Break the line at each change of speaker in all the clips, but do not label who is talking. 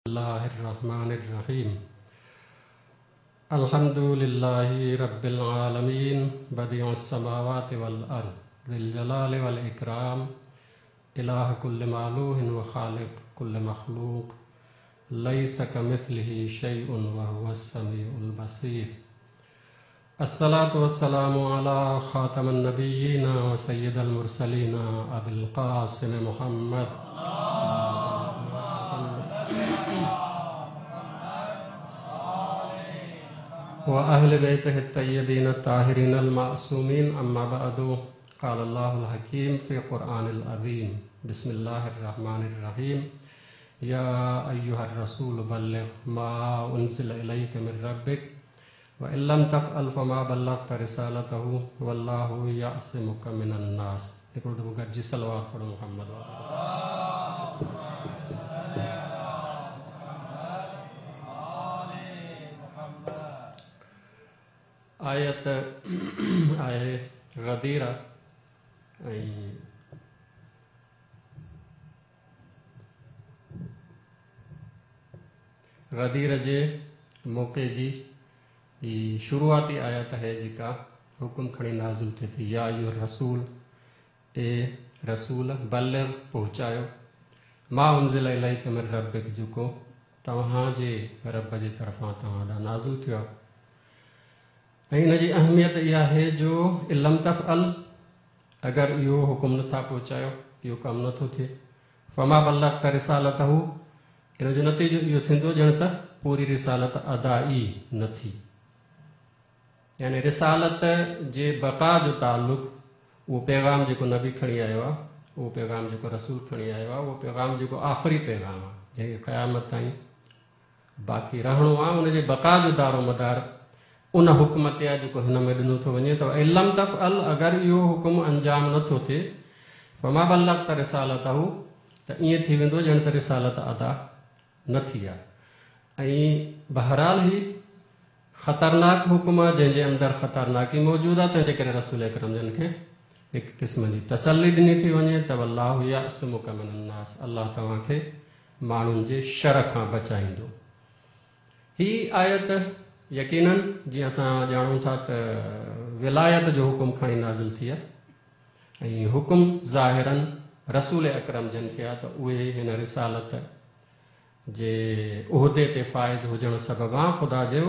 الله الرحمن الرحيم الحمد لله رب العالمين بديع السماوات والأرض ذي الجلال والإكرام إله كل مالوه وخالق كل مخلوق ليس كمثله شيء وهو السميع البصير الصلاة والسلام على خاتم النبيين وسيد المرسلين أبي القاسم محمد وأهل بيته الطيبين الطاهرين المعصومين أما بعد قال الله الحكيم في قرآن العظيم بسم الله الرحمن الرحيم يا أيها الرسول بلغ ما أنزل إليك من ربك وإن لم تفعل فما بلغت رسالته والله يعصمك من الناس. هڪڙو دفعو گڏجي صلوات پڙهو محمد آيت آهي غدير ۽ غدير جي موقعي جي هي شروعاتي آيت آهي جيڪا حڪم کڻي نازل ٿئي ٿي، يا ايها الرسول، اي رسول، بلغ، پهچايو، ما انزل اليک من ربک، جيڪو توهان جي رب جي طرفان توهان ڏانهن نازل ٿيو آهي. ۽ ان جي اهميت اها آهي جو ان لم تفعل، اگر اهو حڪم نٿا پهچايو، اهو ڪم نٿو ٿئي، فما بلغت رسالته، ان جو نتيجو اهو ٿيندو ڄڻ ته پوري رسالت ادا ئي نه ٿي. يعني رسالت جي بقا جو تعلق اهو پيغام جيڪو نبي کڻي آيو آهي، اهو پيغام جيڪو رسول کڻي آيو آهي، اهو پيغام جيڪو آخري پيغام آهي، جنهن کي قيامت تائين باقي رهڻو آهي، ان جي بقا جو دارومدار ان حڪم تي آهي جيڪو هن ۾ ڏنو ٿو وڃي ته ان لم تفعل، اگر اهو حڪم انجام نه ٿو ٿئي، فما بلغت رسالته، ته ائين ٿي ويندو ڄڻ ته رسالت ادا نه ٿي آهي. ۽ بهرحال هي خطرناڪ حڪم آهي جنهن جي اندر خطرناڪي موجود آهي، تنهن جي ڪري رسول اڪرم جن کي هڪ قسم جي تسلي ڏني ٿي وڃي ته والله يعصمک من الناس، الله توهان کي ماڻهن جي شر کان بچائيندو. هي آيت يقيناً جيئن اسان ڄاڻون ٿا ته ولايت جو حڪم کڻي نازل ٿي آهي ۽ حڪم ظاهراً رسول اڪرم جن کي آهي ته اهي هن رسالت جي عهدي تي فائز هجڻ سببان، خدا جو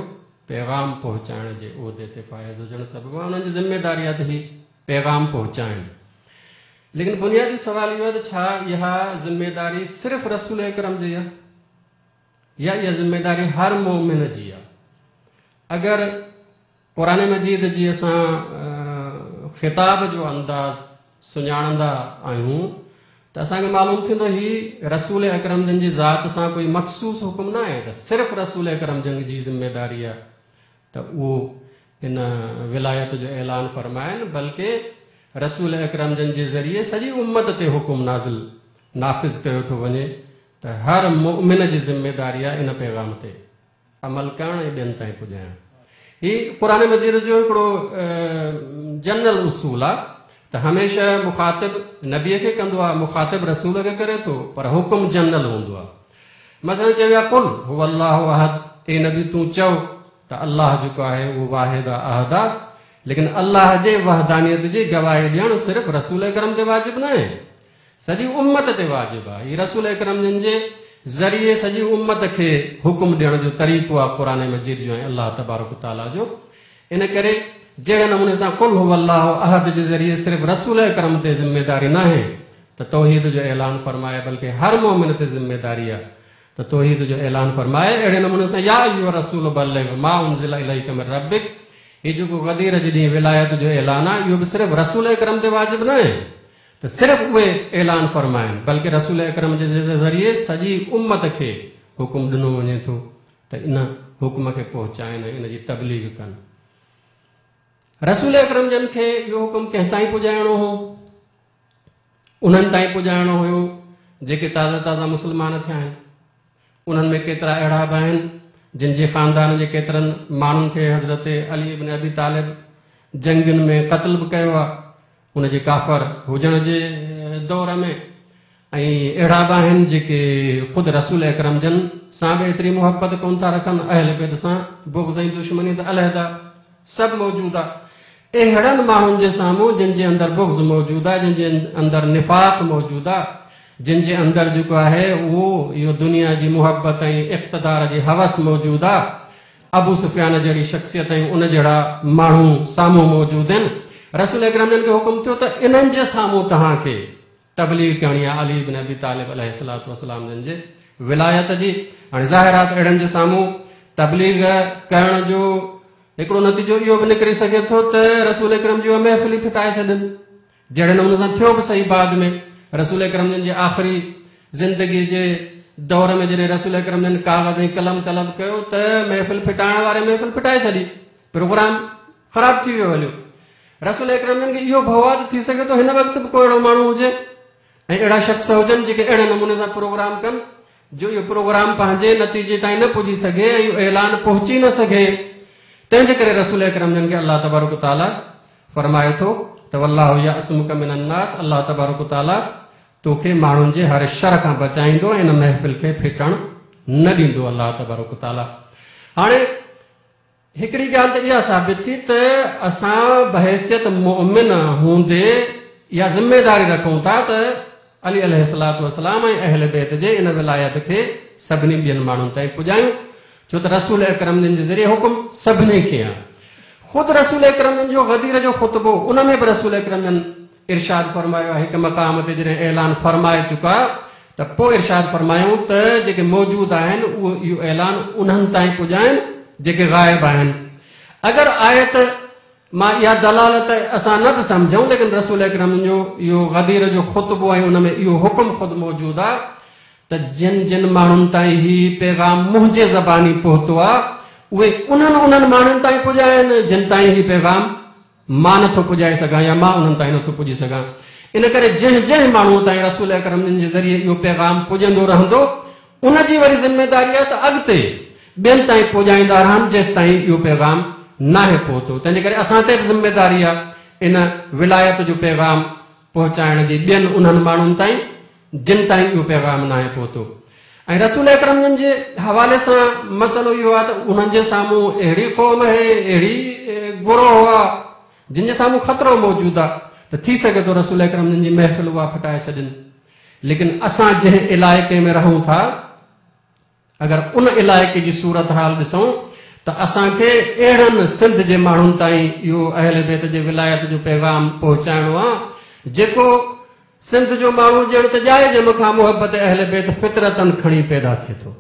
پيغام پهچائڻ جي عهدي تي فائز هجڻ سببان انهن جي ذميداري آهي ته هي پيغام پهچائن. ليڪن بنيادي سوال اهو آهي ته ڇا اها ذميداري صرف رسول اڪرم جي آهي يا اها ذميداري هر مؤمن جي آهي؟ اگر قرآن مجيد جي اسان خطاب جو انداز سڃاڻندا آهيون ته اسان کي معلوم ٿيندو هي رسول اڪرم جن جي ذات سان ڪوئي مخصوص حڪم نه آهي ته صرف رسول اڪرم جن جي ذميداري آهي ته اهو ان ولايت جو اعلان فرمائن، بلڪه رسول اڪرم جن جي ذريعي سڄي امت تي حڪم نازل نافذ ڪيو ٿو وڃي ته هر مؤمن جي ذميداري آهي ان پيغام تي عمل ڪرڻ ۽ ٻين تائين پڄائڻ. هي قرآن مجيد جو هڪڙو جنرل اصول آهي ته هميشه مخاطب نبيء کي ڪندو آهي، مخاطب رسول کي ڪري ٿو، پر حڪم جنرل هوندو آهي. مثلا چيو آهي قل هو الله احد، اي نبي تون چئو ته الله جيڪو آهي اهو واحد آهي، احد آهي، ليڪن الله جي وحدانيت جي گواهي ڏيڻ صرف رسول اڪرم تي واجب ناهي، سڄي امت تي واجب آهي. هي رسول اڪرم جن جي ذريعي سڄي امت کي حڪم ڏيڻ جو طريقو آهي قرآن مجيد جو ۽ الله تبارڪ وتعاليٰ جو. ان ڪري جهڙي نموني سان قل هو الله احد جي ذريعي صرف رسول اڪرم تي ذميداري ناهي ته توحيد جو اعلان فرمائي بلڪه هر مؤمن تي ذميداري آهي ته توحيد جو اعلان فرمائي، اهڙي نموني سان يا ايها الرسول بلغ ما انزل اليک من ربک، هي جيڪو غدير جي ڏينهن ولايت جو اعلان آهي اهو به صرف رسول اڪرم تي واجب ناهي ته صرف اهي اعلان فرمائن بلڪه رسول اڪرم جي ذريعي سڄي امت کي حڪم ڏنو وڃي ٿو ته ان حڪم کي پهچائن ۽ ان جي تبليغ ڪن. رسول اڪرم جن کي اهو حڪم ڪنهن تائين پڄائڻو هو؟ انهن تائين پڄائڻو هيو جيڪي تازا تازا مسلمان ٿيا آهن. انهن ۾ ڪيترا اهڙا به آهن جن جي خاندان جي ڪيترن ماڻهن کي حضرت علي ابن ابي طالب جنگين ۾ قتل به ڪيو آهي ان جي ڪافر هجڻ جي دور ۾، ۽ اهڙا به آهن جيڪي خود رسول اڪرم جن سان به ايتري محبت ڪونه ٿا رکن، اهل بيت سان بغض ۽ دشمني ته علحده سڀ موجود آهي. اهڙن ماڻهن جي سامهون جن جي اندر بغض موجود آهي، جن جي اندر نفاق موجود آهي، جن جي اندر جيڪو آهي اهو اهو دنيا جي محبت ۽ اقتدار جي هوس موجود آهي، ابو سفيان جهڙي شخصيت ۽ ان جهڙا ماڻهو سامهون موجود آهن، رسول اڪرم جن کي حڪم ٿيو ته انهن جي سامهون توهان کي تبليغ ڪرڻي آهي علي بن ابي طالب عليه الصلوة والسلام جن جي ولايت جي. هاڻي ظاهر آهي ته اهڙن جي سامهون تبليغ ڪرڻ جو هڪڙو نتيجو اهو به نڪري سگهي ٿو ته رسول اڪرم جي اها محفل ئي ڦٽائي ڇڏن، جهڙي نموني سان ٿيو به صحيح بعد ۾ رسول اڪرم جن جي آخري زندگي جي دور ۾ جڏهن رسول اڪرم جن ڪاغذ ۽ قلم طلب ڪيو ته محفل ڦٽائڻ واري محفل ڦٽائي ڇڏي، پروگرام خراب ٿي ويو هليو. رسول اڪرم جن کي اهو ڀؤ آهي ته ٿي سگهي ٿو هن وقت به ڪو اهڙو ماڻهو هجي ۽ اهڙا شخص هجن جيڪي اهڙي نموني سان پروگرام ڪن جو اهو پروگرام پنهنجي نتيجي تائين نه پڄي سگهي ۽ اهو اعلان پهچي نه سگهي. تنهن جي ڪري رسول اڪرم جن کي الله تبارڪ وتعاليٰ فرمائي ٿو ته والله يعصمک من الناس، الله تبارڪ وتعاليٰ توکي ماڻهن جي هر شر کان بچائيندو ۽ ان محفل کي ڦٽڻ نه ڏيندو. الله تبارڪ وتعاليٰ هاڻي هڪڙي ڳالهه ته اها ثابت ٿي ته اسان بحيثيت مؤمن هوندي اها ذميداري رکون ٿا ته علي عليه الصلوة والسلام ۽ اهل بيت جي ان ولايت کي سڀني ٻين ماڻهن تائين پڄايون، ڇو ته رسول اڪرم جن جي ذريعي حڪم سڀني کي آهي. خود رسول اڪرم جن جو غدير جو خطبو ان ۾ به رسول اڪرم جن ارشاد فرمايو آهي، هڪ مقام تي جڏهن اعلان فرمائي چڪا ته پوء ارشاد فرمايائون ته جيڪي موجود آهن اهو اهو اعلان انهن تائين پڄائن جيڪي غائب آهن. اگر آيت مان اها دلالت اسان نه به سمجهون ليڪن رسول اڪرم جو اهو غدير جو خطبو ۽ ان ۾ اهو حڪم خود موجود آهي ته جن جن ماڻهن تائين هي پيغام منهنجي زباني پهتو آهي اهي انهن انهن ماڻهن تائين پڄائن جن تائين هي پيغام مان نٿو پڄائي سگهان يا مان انهن تائين نٿو پڄي سگهان. ان ڪري جنهن جنهن ماڻهوء تائين رسول اڪرم جن جي ذريعي اهو پيغام پڄندو رهندو، ان جي وري ذميداري آهي ته اڳتي ٻين تائين پڄائيندا رهن جيستائين اهو پيغام ناهي پهتو. تنهنجي ڪري اسان تي به ذميداري آهي ان ولايت جو پيغام پهچائڻ جي ٻين انهن ماڻهن تائين جن تائين اهو پيغام ناهي پهتو. ۽ رسول اڪرم جن جي حوالي سان مسئلو اهو آهي ته انهن جي سامهون اهڙي قوم آهي، اهڙي گروهه آهي جن جي سامهون خطرو موجود آهي ته ٿي سگهي ٿو رسول اڪرم جن جي محفل اها ڦٽائي ڇڏين. ليڪن اسان جنهن علائقي ۾ رهون ٿا اگر ان علائقي جي صورتحال ڏسون ته اسان کي اهڙن سنڌ جي ماڻهن تائين اهو اهل بيت جي ولايت جو پيغام پهچائڻو آهي جيڪو سنڌ جو ماڻهو ڄڻ ته ڄائي ڄم کان محبت اهل بيت فطرتن کڻي پيدا ٿئي ٿو.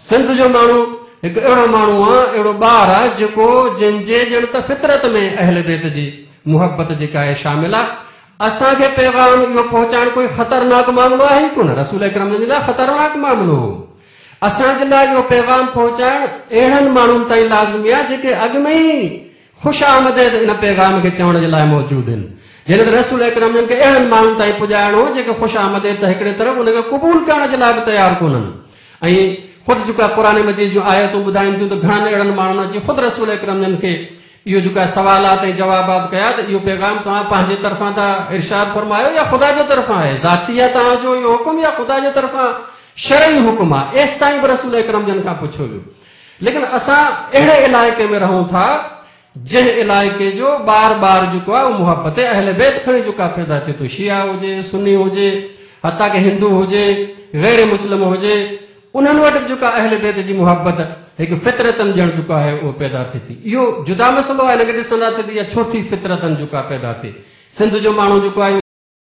سنڌ جو ماڻهو هڪ اهڙو ماڻهو آ، اهڙو ٻار آ جيڪو جنهن جي ڄڻ ته فطرت ۾ اهل بيت جي محبت جيڪا آهي شامل آ. اسان کي پيغام اهو پهچائڻ ڪوئي خطرناڪ معاملو آهي ئي ڪونه. رسول اڪرم جن جي لاء خطرناڪ معاملو هو. اسان جي لاء اهو پيغام پهچائڻ اهڙن ماڻهن تائين لازمي آ جيڪي اڳ ۾ ئي خوش آمديد ان پيغام کي چوڻ جي لاء موجود هن. جڏهن ته رسول اڪرم جن کي اهڙن ماڻهن تائين پڄائڻو هو جيڪي خوش آمديد ته هڪڙي طرف ان کي قبول ڪرڻ جي لاء به تيار ڪونهن ۽ خود جيڪا قرآن مجيد جون آيتون ٻڌائين ٿيون ته گهڻن اهڙن ماڻهن اچي خود رسول اڪرم جن کي اهو جيڪا سوالات ۽ جوابات ڪيا ته اهو پيغام توهان پنهنجي طرفان ٿا ارشاد فرمايو يا خدا جي طرفان آهي، ذاتي آهي توهان جو اهو حڪم يا خدا جي طرفان شرعي حڪم آهي، ايستائين به رسول اڪرم جن کان پڇيو ويو. ليڪن اسان اهڙي علائقي ۾ رهون ٿا جنهن علائقي جو ٻار ٻار جيڪو آهي اهو محبت اهل بيت کڻي جيڪو آهي پيدا ٿئي ٿو، شيعا هجي، سني هجي، حتيٰ ڪه هندو هجي، غير مسلم هجي، انهن وٽ به جيڪا اهل بيت جي محبت هڪ فطرتن ڄڻ جيڪو آهي اهو پيدا ٿئي ٿي. اهو جدا مسئلو آهي، ان کي ڏسنداسين ته اها ڇو ٿي فطرتن جيڪا پيدا ٿئي. سنڌ جو ماڻهو جيڪو آهي.